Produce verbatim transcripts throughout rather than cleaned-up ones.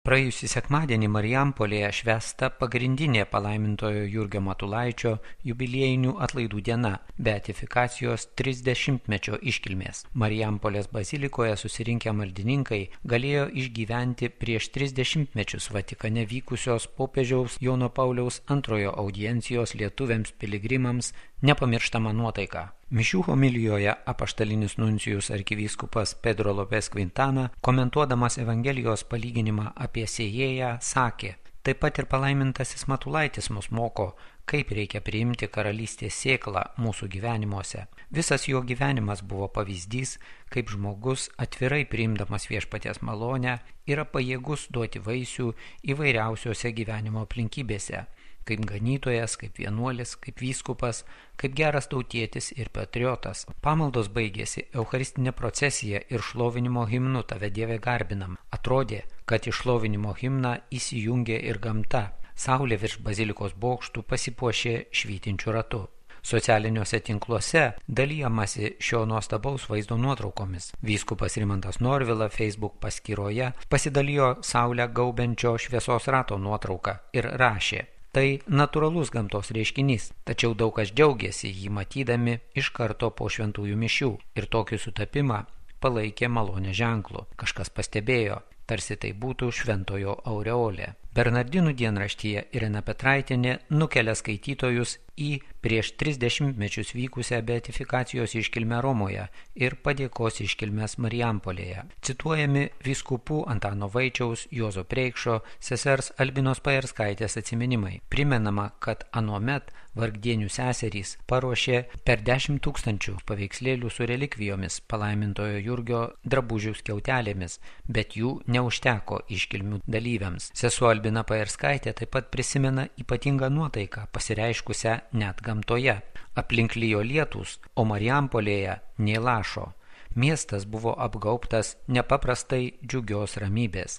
Praėjusį sekmadienį Marijampolėje švęsta pagrindinė palaimintojo Jurgio Matulaičio jubiliejinių atlaidų diena – beatifikacijos trisdešimtmečio iškilmės. Marijampolės bazilikoje susirinkę maldininkai galėjo išgyventi prieš tris dešimtmečius Vatikane vykusios popiežiaus Jono Pauliaus antrojo audiencijos lietuviams piligrimams nepamirštamą nuotaiką. Mišių homilijoje apaštalinis nuncijus arkivyskupas Pedro Lopes Quintana, komentuodamas Evangelijos palyginimą apie sėjėją, sakė: taip pat ir palaimintasis Matulaitis mus moko, kaip reikia priimti karalystės sėklą mūsų gyvenimuose. Visas jo gyvenimas buvo pavyzdys, kaip žmogus atvirai priimdamas viešpaties malonę yra pajėgus duoti vaisių įvairiausiose gyvenimo aplinkybėse. Kaip ganytojas, kaip vienuolis, kaip vyskupas, kaip geras tautietis ir patriotas. Pamaldos baigėsi eucharistinė procesija ir šlovinimo himnu Tave Dieve garbinam. Atrodė, kad į šlovinimo himną įsijungė ir gamta. Saulė virš bazilikos bokštų pasipuošė švytinčiu ratu. Socialiniuose tinkluose dalijamasi šio nuostabaus vaizdo nuotraukomis. Vyskupas Rimantas Norvila Facebook paskyroje pasidalijo saulę gaubiančio šviesos rato nuotrauką ir rašė: tai natūralus gamtos reiškinys, tačiau daug kas džiaugiasi jį matydami iš karto po šventųjų mišių ir tokį sutapimą palaikė malonę ženklu. Kažkas pastebėjo, tarsi tai būtų šventojo aureolė. Bernardinų dienraštyje Irena Petraitienė nukelia skaitytojus į prieš tris dešimtmečius vykusią beatifikacijos iškilmę Romoje ir padėkos iškilmės Marijampolėje. Cituojami vyskupų Antano Vaičiaus, Juozo Preikšo, sesers Albinos Pajarskaitės atsiminimai. Primenama, kad anuomet vargdienių seserys paruošė per dešimt tūkstančių paveikslėlių su relikvijomis, palaimintojo Jurgio drabužių skiautelėmis, bet jų neužteko iškilmių dalyviams. Sesuo Albina Pajarskaitė taip pat prisimena ypatingą nuotaiką, pasireiškusią net gamtoje. Aplink lijo lietūs, o Marijampolėje nė lašo. Miestas buvo apgaubtas nepaprastai džiugios ramybės.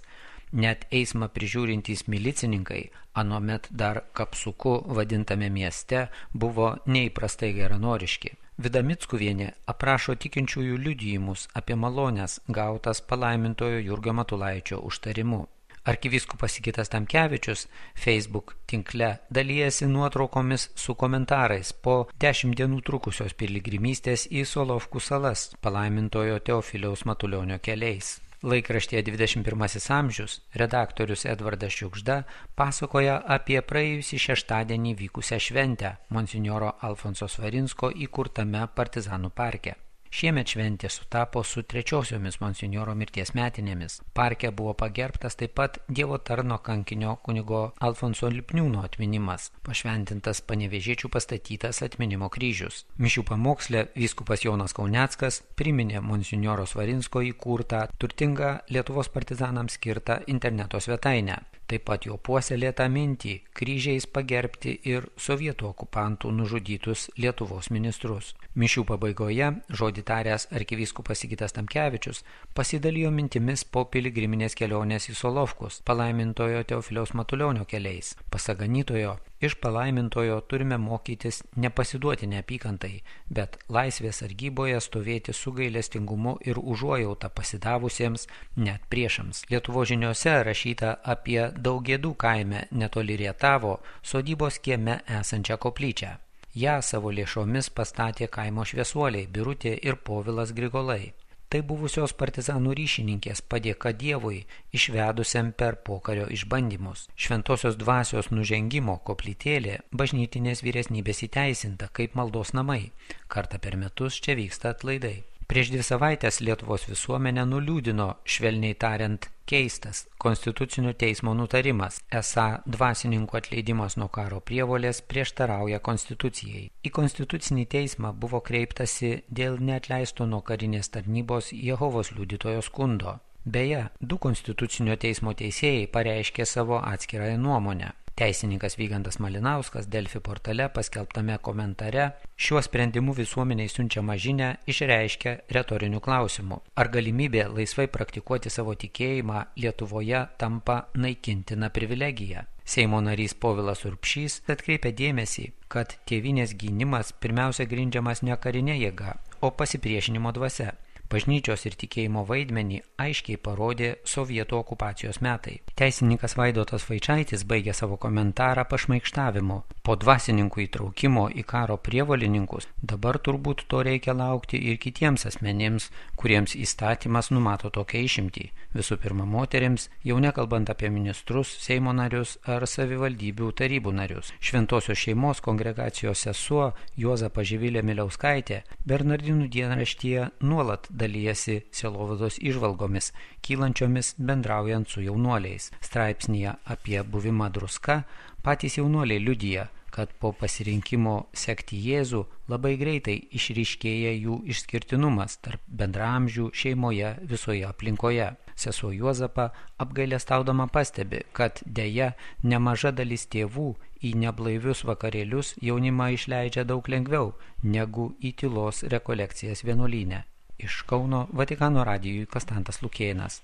Net eismą prižiūrintys milicininkai, anuomet dar kapsuku vadintame mieste, buvo neįprastai geranoriški. Vida Mickuvienė aprašo tikinčiųjų liudijimus apie malones gautas palaimintojo Jurgio Matulaičio užtarimu. Arkivyskupas Sigitas Tamkevičius Facebook tinkle dalijasi nuotraukomis su komentarais po dešimt dienų trukusios piligrimystės į Solovkų salas palaimintojo Teofiliaus Matulionio keliais. Laikraštyje dvidešimt pirmasis amžius redaktorius Edvardas Šiugžda pasakoja apie praėjusį šeštadienį vykusią šventę monsinjoro Alfonso Svarinsko įkurtame Partizanų parke. Šiemet šventė sutapo su trečiosiomis monsinjoro mirties metinėmis. Parke buvo pagerbtas taip pat Dievo tarno kankinio kunigo Alfonso Lipniūno atminimas, pašventintas panevėžiečių pastatytas atminimo kryžius. Mišių pamoksle vyskupas Jonas Kauneckas priminė monsinjoro Svarinsko įkurtą turtingą Lietuvos partizanams skirtą interneto svetainę. Taip pat jo puoselėtą mintį kryžiais pagerbti ir sovietų okupantų nužudytus Lietuvos ministrus. Mišių pabaigoje žodį taręs arkivyskupas Sigitas Tamkevičius pasidalijo mintimis po piligriminės kelionės į Solovkus palaimintojo Teofiliaus Matulionio keliais. Pasak ganytojo, iš palaimintojo turime mokytis nepasiduoti neapykantai, bet laisvės sargyboje stovėti su gailestingumu ir užuojauta pasidavusiems net priešams. Lietuvos žiniose rašyta apie Daugėdų kaime netoli Rietavo sodybos kieme esančią koplyčią. Ją savo lėšomis pastatė kaimo šviesuoliai Birutė ir Povilas Grigolai. Tai buvusios partizanų ryšininkės padėka Dievui, išvedusiam per pokario išbandymus. Šventosios dvasios nužengimo koplytėlė bažnytinės vyresnybės įteisinta kaip maldos namai. Kartą per metus čia vyksta atlaidai. Prieš dvi savaitės Lietuvos visuomenę nuliūdino, švelniai tariant, keistas Konstitucinio teismo nutarimas, esą dvasininkų atleidimas nuo karo prievolės prieštarauja Konstitucijai. Į Konstitucinį teismą buvo kreiptasi dėl neatleisto nuo karinės tarnybos Jehovos liudytojo skundo. Beje, du Konstitucinio teismo teisėjai pareiškė savo atskirąją nuomonę. Teisininkas Vygantas Malinauskas Delfi portale paskelbtame komentare šiuo sprendimu visuomeniai siunčiamą žinią išreiškia retorinių klausimų. Ar galimybė laisvai praktikuoti savo tikėjimą Lietuvoje tampa naikintina privilegija? Seimo narys Povilas Urbšys atkreipia dėmesį, kad tėvynės gynimas pirmiausia grindžiamas ne karinė jėga, o pasipriešinimo dvasia. Bažnyčios ir tikėjimo vaidmenį aiškiai parodė sovietų okupacijos metai. Teisininkas Vaidotas Vaičaitis baigė savo komentarą pašmaikštavimu. Po dvasininkų įtraukimo į karo prievolininkus dabar turbūt to reikia laukti ir kitiems asmenims, kuriems įstatymas numato tokią išimtį. Visų pirma moterims, jau nekalbant apie ministrus, Seimo narius ar savivaldybių tarybų narius. Šventosios šeimos kongregacijos sesuo Juozapa Živilė Miliauskaitė Bernardinų dienraštyje nuolat dalijasi sielovados įžvalgomis, kylančiomis bendraujant su jaunuoliais. Straipsnyje apie buvimą druska patys jaunuoliai liudija, kad po pasirinkimo sekti Jėzų labai greitai išryškėja jų išskirtinumas tarp bendraamžių šeimoje visoje aplinkoje. Sesuo Juozapa apgailestaudama pastebi, kad deja nemaža dalis tėvų į neblaivius vakarėlius jaunimą išleidžia daug lengviau negu į tylos rekolekcijas vienuolyne. Iš Kauno Vatikano radijui Konstantas Lukėnas.